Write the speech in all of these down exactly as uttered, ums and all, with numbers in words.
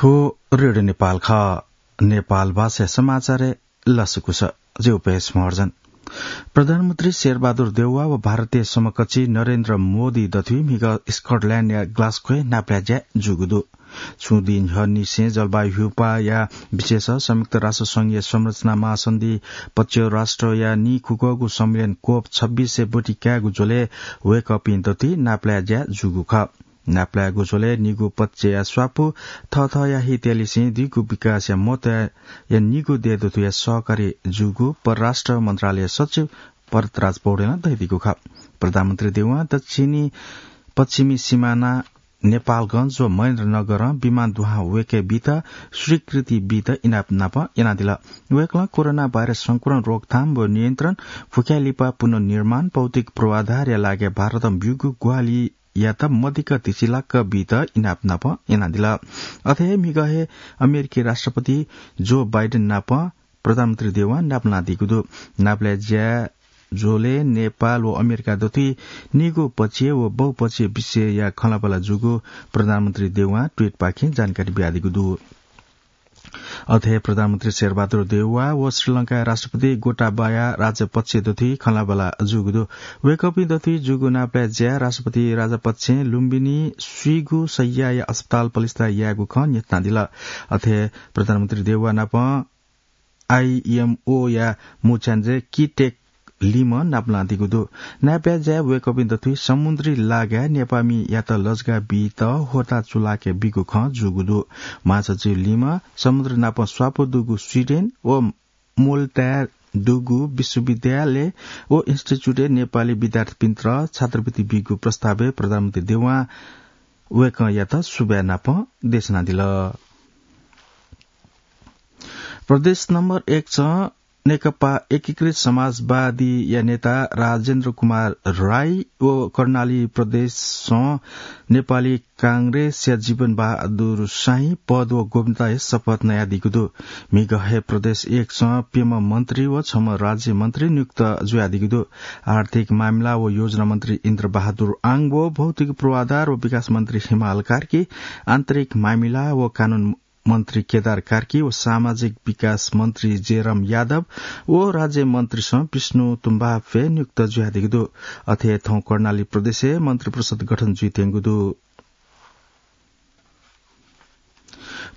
थ्व रेडियो नेपाल खः। नेपाल भाषा समाचार लसकुस। ज्यू पेश महर्जन। प्रधानमन्त्री शेरबहादुर देउवा व भारतीय समकक्षी नरेन्द्र मोदी दथुइ म्हिगः स्कटल्याण्डया ग्लास्कोय् नापलाये ज्या जूगु दु। छुं दिं न्ह्यःनिसें जलवायु ह्यूपाःया विषयस संयुक्त राष्ट्र संघीय संरचना महासन्धि पच्चीस राष्ट्रया नीखुगःगु सम्मेलन कोप छब्बीसय् ब्वति कायेगु झ्वलय् वय्कःपिं दथुइ नापलाये ज्या जूगु खः। नापलायेगु झ्वलय् निगू पक्षया स्वापू थःथःया हितया लिसें दीगु विकासया महत्वया निगू दये दथुया सहकारी जूगु परराष्ट्र मन्त्रालय सचिव भरतराज पौडेलं धयादीगु खः। प्रधानमन्त्री देउवां दक्षिणी पश्चिमी सिमाना नेपालगंज व महेन्द्रनगरं विमान दुहां वय्के बीत स्वीकृति बीत इनाप नाप यानादिल। वय्कलं कोरोना भाइरस संक्रमण रोकथाम व नियन्त्रण, फुक्कया लिपा पुनर्निर्माण, भौतिक पूर्वाधारया लागिं भारतं ब्यूगु ग्वाहालियात मदिक्क धिसिलाक्क बीत इनाप नाप यानादिल। अथे हे म्हिगः हे अमेरिकी राष्ट्रपति जो बाइडेन नाप प्रधानमन्त्री देउवां नापलानादीगु दु। नापलाये ज्या झ्वलय् नेपाल व अमेरिका दथुइ निगू पक्षीय व बहुपक्षीय विषयया खँल्हाबल्हा जूगु प्रधानमन्त्री देउवां ट्वीटपाखें जानकारी बियादीगु दु। अथे हे प्रधानमन्त्री शेरबहादुर देउवा व श्रीलंकाया राष्ट्रपति गोटाबाया राजपक्ष दथुइ खँल्हाबल्हा जूगु दु। वय्कःपिं दथुइ जूगु नापलाये ज्या राष्ट्रपति राजपक्षं लुम्बिनी स्वीगू शय्याया अस्पताल पलिस्था यायेगु खँ न्ह्यथनादिल। अथे प्रधानमन्त्री देउवा नाप आइएमओया मुख्यालय किटेक लिमं नापलानादीगु दु। नापलाये ज्याय् वय्कःपिं दथुइ समुद्री लागाय् नेपाःमियात लजगाः बीत होता चुलाके बीगु खँ जूगु दु। महासचिव लिमं समुद्र नाप स्वापू दुगु स्वीडेन व मोल्टाय् दुगु विश्वविद्यालय व इन्स्टिच्युटय् नेपाली विद्यार्थीपिन्त छात्रवृत्ति बीगु प्रस्तावय् प्रधानमन्त्री देउवां वय्कःयात सुभाय् नाप देछानादिल। प्रदेश नम्बर एक च नेकपा एकीकृत समाजवादीया नेता राजेन्द्र कुमार राई व कर्णाली प्रदेशं नेपाली कांग्रेसया जीवन बहादुर शाही पद व गोपनीयताया शपथ नयादीगु दु। म्हिगः हे प्रदेश एक च प्यम्ह मन्त्री व छम्ह राज्य मन्त्री नियुक्त जुयादीगु दु। आर्थिक मामिला व योजना मन्त्री इन्द्र बहादुर आङ व भौतिक पूर्वाधार व विकास मन्त्री हिमाल कार्की, आन्तरिक मामिला व कानून मन्त्री केदार कार्की व सामाजिक विकास मन्त्री जयराम यादव व राज्य मन्त्रीसं विष्णु तुम्बाफे नियुक्त जुयादीगु दु। अथे थौं कर्णाली प्रदेशय् मन्त्री परिषद गठन जुइत्यंगु दु।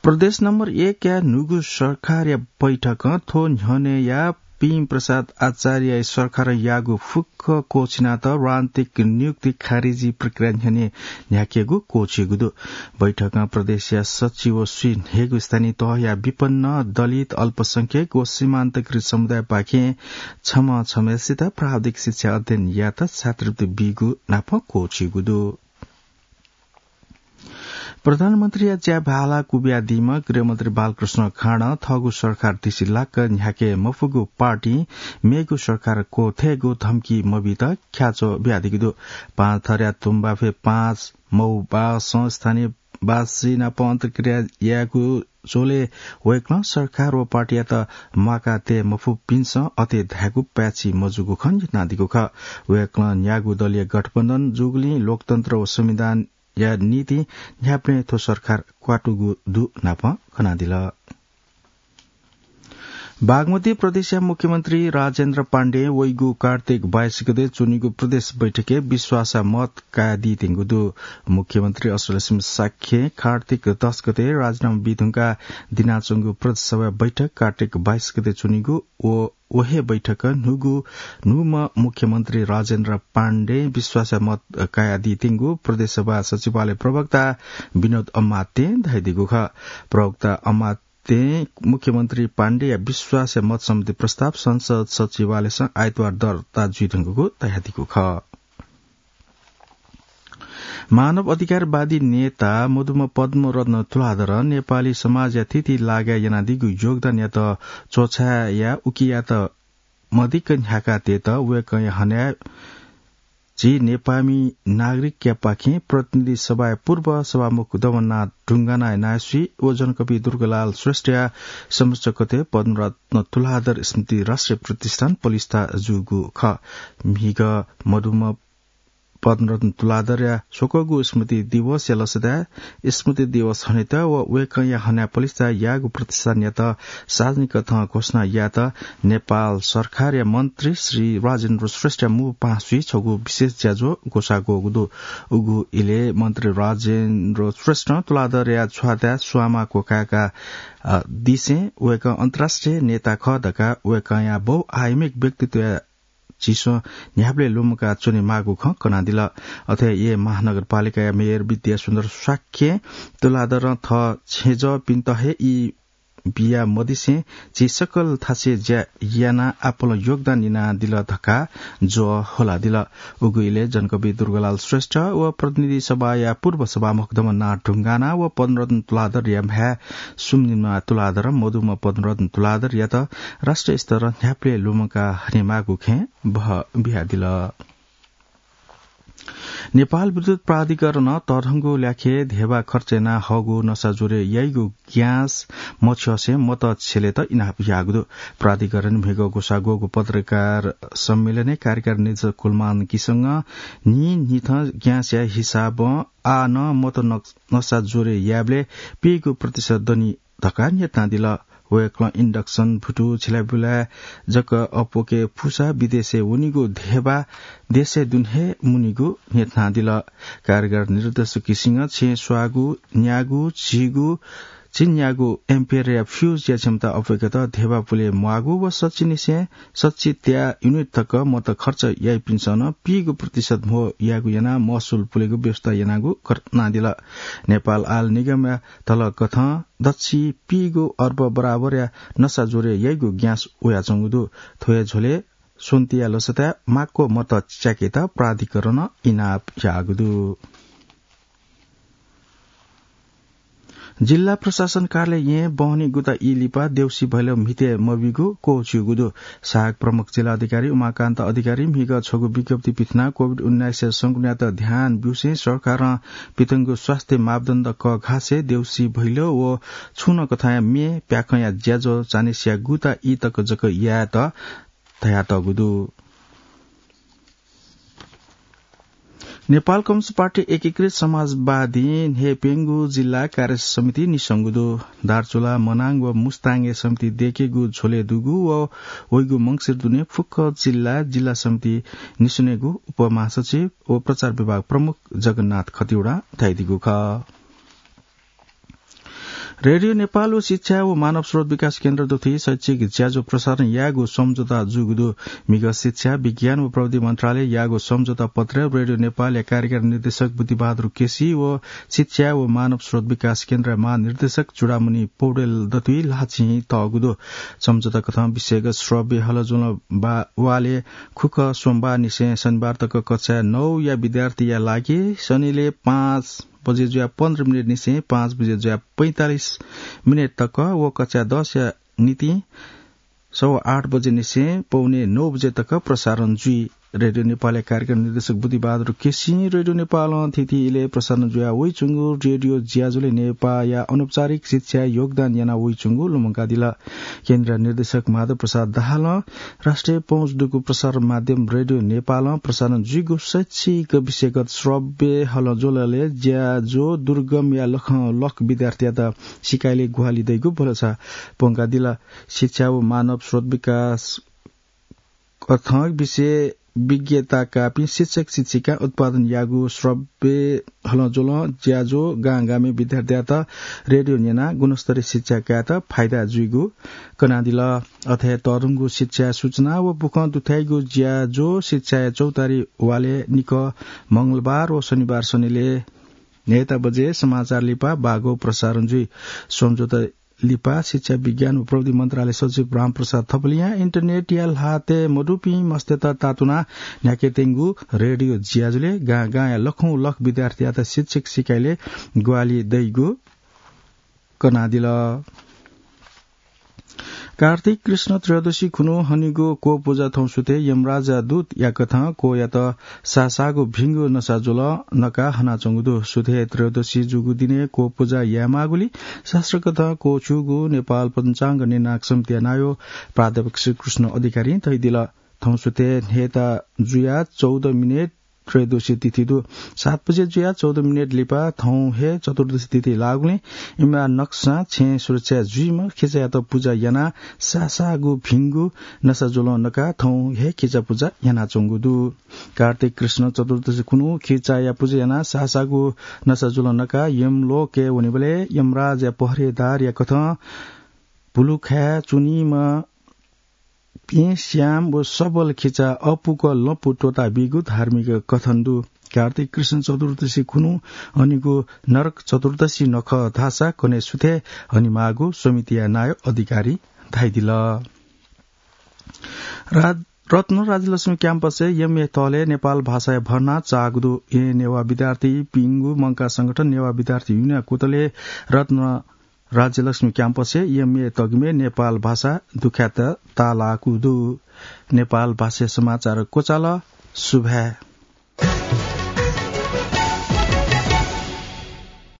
प्रदेश नम्बर एक या न्हूगु सरकारया बैठकं थ्व न्ह्यःनेया पिं प्रसाद आचार्य सरकारं याःगु फुक्क क्वःछिनात राजनीतिक नियुक्ति खारिजी प्रक्रिया न्ह्यःने न्ह्याकेगु क्वःछिइगु दु। बैठकं प्रदेशया सचिव व स्वीन्हय्गू स्थानीय तहया विपन्न, दलित, अल्पसंख्यक व सीमान्तकृत समुदायपाखें छम्ह छम्हसित प्राविधिक शिक्षा अध्ययन यायेत छात्रवृत्ति बीगु नाप क्वःछिइगु दु। प्रधानमन्त्रीया ज्या भाला क्वबियादीम्ह गृहमन्त्री बालकृष्ण खाँडं थःगु सरकार धिसिलाक्क न्ह्याके मफुगु पार्टी मेगु सरकार क्वथयेगु धम्की मबीत ख्याच्वः बियादीगु दु। पाँच थरया तुम्बाफे पाँच मौबासं स्थानीयवासी नाप अन्तर्क्रिया यायेगु झ्वलय् वय्कलं सरकार व पार्टीयात म्वाका तये मफुपिन्सं अथे धायेगु पाय्छि मजूगु खँ न्ह्यथनादीगु खः। वय्कलं न्यागू दलीय गठबन्धन जूगुलिं लोकतन्त्र व संविधानया निंतिं न्ह्याबलें थ्व सरकार क्वातुगु दु नाप कनादिल। बागमती प्रदेशया मुख्यमन्त्री राजेन्द्र पाण्डें वइगु कार्तिक बाइस गते च्वनीगु प्रदेश बैठकय् विश्वासया मत कायेदीत्यंगु दु। मुख्यमन्त्री असलसिम शाक्यं कार्तिक दस गते राजीनामा बीधुंकाः दिनाच्वंगु प्रदेश सभा बैठक कार्तिक बाइस गते च्वनीगु व व हे बैठकं न्हूगु न्हूम्ह मुख्यमन्त्री राजेन्द्र पाण्डें विश्वासया मत कायादीत्यंगु प्रदेश सभा सचिवालय प्रवक्ता विनोद अमात्यं धयादीगु खः। प्रवक्ता अमात्यं मुख्यमन्त्री पाण्डेया विश्वासया मत सम्बन्धी प्रस्ताव संसद सचिवालयसं आइतबार दर्ता जुइधुंकूगु धयादीगु खः। मानव अधिकारवादी नेता मदुम्ह पद्मरत्न तुलाधरं नेपाली समाजया थीथी लागाय् यानादीगु योगदानयात च्वछाया उकियात मदिक्क न्ह्याकाः तयेत वय्कःया हनाः झी नेपाःमि नागरिकयापाखें प्रतिनिधि सभाया पूर्व सभामुख दमननाथ ढुङ्गानाया नायःसुइ व जनकवि दुर्गालाल श्रेष्ठया समकक्षय् पद्मरत्न तुलाधर स्मृति राष्ट्रिय प्रतिष्ठान पलिस्था जूगु खः। म्हिगः मदुम्ह पद्मरत्न तुलाधरया स्वकःगु स्मृति दिवसया लसताय् स्मृति दिवस हनेत व वय्कःया हनाः पलिस्था याःगु प्रतिष्ठानयात सार्वजनिक कथं घोषणा यायेत नेपाल सरकारया मन्त्री श्री राजेन्द्र श्रेष्ठया मू पाहांसुइ छगू विशेष ज्याझ्वः ग्वसाः ग्वःगु दु। उगु इलय् मन्त्री राजेन्द्र श्रेष्ठं तुलाधरया छ्वाताय् स्वांमा क्वकाय्का, अ, दिसें वय्कः अन्तर्राष्ट्रिय नेता खः धकाः वय्कःया बहुआयामिक व्यक्तित्वया झीसं न्ह्याबलें लुमंका च्वनेमाःगु खँ कनादिल। अथे येँ महानगरपालिकाया मेयर विद्यासुन्दर शाक्यं तुलाधरं थः छेँजःपिन्त हे ई बिया मदिसें झी सकल थासय् ज्या यानाः आपालं योगदान यानादिल धकाः ज्वः ह्वलादिल। उगु इलय् जनकवि दुर्गालाल श्रेष्ठ व प्रतिनिधि सभाया पूर्व सभामुख दमननाथ ढुङ्गाना व पद्मरत्न तुलाधरया म्ह्याय् सुम्निमा तुलाधरं मदुम्ह पद्मरत्न तुलाधरयात राष्ट्रिय स्तरं न्ह्याबलें लुमंका हनेमाःगु खँय् बहः बियादिल। नेपाल विद्युत प्राधिकरणं तःधंगु ल्याखय् धेबा खर्च यानाः हःगु नसा ज्वरय् याइगु ग्यास मछ्यःसें मत छ्यलेत इनाप याःगु दु। प्राधिकरणं म्हिगः ग्वसाः ग्वःगु पत्रकार सम्मेलनय् कार्यकारी निर्देशक कुलमान किसंगं न्हिं न्हिथं ग्यासया हिसाबं आः नं मत न-, नसा ज्वरय् यायेबलय् पीगू प्रतिशत दनि धकाः न्ह्यथनादिल। वय्कलं इन्डक्सन भुतु झिलाबिलाय् जक अप्वके फुसा विदेशय् वनीगु धेबा देशय् दुने हे मुनीगु न्ह्यथनादिल। कार्यकारी निर्देशक किसिंगं छेँ स्वाःगु, न्याःगु, झीगु, झिंन्याःगु एम्पियरया फ्युजया क्षमता अप्वय्केत धेबा पुले म्वाःगु व सच्छि निसें सच्छि त्या युनिट तक मत खर्च याइपिन्सं नं पीगु प्रतिशत म्हो यायेगु यानाः महसुल पुलेगु व्यवस्था यानागु कनादिल। नेपाल आयल निगमया धलकथं दच्छि पीगू अर्ब बराबरया नसा ज्वरय् याइगु ग्यास वयाच्वंगु दु। थ्व हे झ्वलय् स्वन्तिया लसताय् माक्व मत च्याकेत प्राधिकरणं इनाप याःगु दु। जिल्ला प्रशासन कार्यालय येँ बहनी गुता ई लिपा देउसी भैलो म्हितय् मबीगु क्वःछिउगु दु। सहायक प्रमुख जिल्ला अधिकारी उमाकान्त अधिकारी म्हिगः छगू विज्ञप्ति पिथनाः कोभिड उन्नाइसया संक्रमणयात ध्यान ब्यूसें सरकारं पितंगु स्वास्थ्य मापदण्ड कःघासे देउसी भैलो व छुं नं कथंया म्ये प्याखंया ज्याझ्वः चान्हिसिया गुता ई तक जक यायेत धयातःगु दु। नेपाल कम्युनिस्ट पार्टी एकीकृत समाजवादीं न्ह्यप्यंगू जिल्ला कार्य समिति निस्वंगु दु। दार्चुला, मनाङ व मुस्ताङय् समिति दयेकेगु झ्वलय् दुगु व वइगु मंसिर दुने फुक्क जिल्ला, जिल्ला समिति निस्वनेगु उपमहासचिव व प्रचार विभाग प्रमुख जगन्नाथ खतिवडां धयादीगु खः। रेडियो नेपाल व शिक्षा व मानव स्रोत विकास केन्द्र दथुइ शैक्षिक ज्याझ्वः प्रसारण यायेगु सम्झौता जूगु दु। म्हिगः शिक्षा, विज्ञान व प्रविधि मन्त्रालय याःगु सम्झौता पत्रय् रेडियो नेपालया कार्यकारी निर्देशक बुद्धिबहादुर केसी व शिक्षा व मानव स्रोत विकास केन्द्रया महानिर्देशक चूडामणि पौडेल दथुइ ल्हाःचिं तःगु दु। सम्झौता कथं विषयगत श्रव्य हलज्वलं बा-, वालय् खुखः सोमबार निसें शनिबार तक कक्षा नौया विद्यार्थीया लागि शनिलय् पाँच बजे जुयाः पन्ध्र मिनेट निसें पाँच बजे जुयाः पैंतालिस मिनेट तक व कक्षा दसया निंतिं सवा आठ बजे निसें पौने नौ बजे तक प्रसारण जुइ। रेडियो नेपालया कार्यक्रम निर्देशक बुद्धिबहादुर केसीं रेडियो नेपालं थीथी इलय् प्रसारण जुया वइच्वंगु रेडियो ज्याझ्वलय् नेपाःया अनौपचारिक शिक्षाय् योगदान याना वइच्वंगु लुमंकादिल। केन्द्रीय निर्देशक माधव प्रसाद दाहालं राष्ट्रिय पहुँच दुगु प्रसारण माध्यम रेडियो नेपालं प्रसारण जुइगु शैक्षिक विषयगत श्रव्य हलज्वलय् ज्याझ्वः दुर्गमया लखं लख विद्यार्थीयात सिकाइलय् ग्वाहालि दइगु भलसा प्वंकादिल। शिक्षा व मानव स्रोत विकास कथं विषय विज्ञता काःपिं शिक्षक शिक्षिका उत्पादन याःगु श्रव्य हलज्वलं ज्याझ्वः गां गामय् विद्यार्थीयात रेडियो न्यनाः गुणस्तरीय शिक्षा कायेत फाइदा जुइगु कनादिल। अथे तःधंगु शिक्षाय् सूचना व बुखँ दुथ्याइगु ज्याझ्वः शिक्षाया चौतारी वालय् निकः मंगलबार व शनिबार शनिलय् न्हय्ता बजे समाचार लिपा बागो प्रसारण जुइ। सम्झौता लिपा शिक्षा, विज्ञान व प्रविधि मन्त्रालय सचिव रामप्रसाद थपलियां इन्टरनेटया ल्हातय् मदुपिं मस्तय्त तातुनाः न्ह्याकेत्यंगु रेडियो ज्याझ्वलय् गां गांया लखौं लख विद्यार्थीयात शिक्षक सिकाइलय् ग्वाहालि दइगु कनादिल। कार्तिक कृष्ण त्रयोदशी खुन्हु हनीगु क्वपुजा थौं सुथय् यमराजा दूत याकथं क्वयात साःसाःगु भिंगु नसा ज्वलं नकाः हनाच्वंगु दु। सुथय् त्रयोदशी जूगु दिनय् क्वपुजा यायेमाःगुलिं शास्त्रकथं क्वछुगु नेपाल पञ्चाङ्ग निर्णायक समितिया नायः प्राध्यापक श्रीकृष्ण अधिकारीं धयादिल। थौं सुथय् न्हय्ता जुयाः चौध मिनेट त्रयोदशी तिथि दु। सात बजे जुया चौध मिनेट लिपा थौं हे चतुर्दशी तिथि लाःगुलिं इमरा नक्सां छेँ सुरक्षा जुइमा खिचायात पुजा याना सासागु भिंगु नसा जुलं नका थौं हे खिचा पुजा यानाच्वंगु दु। कार्तिक कृष्ण चतुर्दशी खुन्हु खिचाया पुजा याना सासागु नसा जुलं नका यमलोकय् वनेबलय् यमराजया पहरेदारया कथं भुलुखाय् च्वनीमा प्यँ स्याम व सबल खिचा अपुक लँपु त्वःता बीगु धार्मिक कथन दु। कार्तिक कृष्ण चतुर्दशी खुन्हु हनिगु नरक चतुर्दशी नखः धाःसा कन्हय् सुथय् हनिमाःगु समितिया नायः अधिकारी धाइदिल। रा-, रत्न राजलक्ष्मी क्याम्पसय् एमए तहलय् नेपाल भाषाया भर्ना चाःगु दु। ए नेवाः विद्यार्थीपिंगु मंकाः संगठन नेवाः विद्यार्थी युनियन कुतलय् रत्न राजलक्ष्मी क्याम्पसय् एमए तगिमय् नेपाल भाषा दुखाय्त ताःलाःगु दु। नेपाल भाषा समाचार क्वचाल। सुभाय्।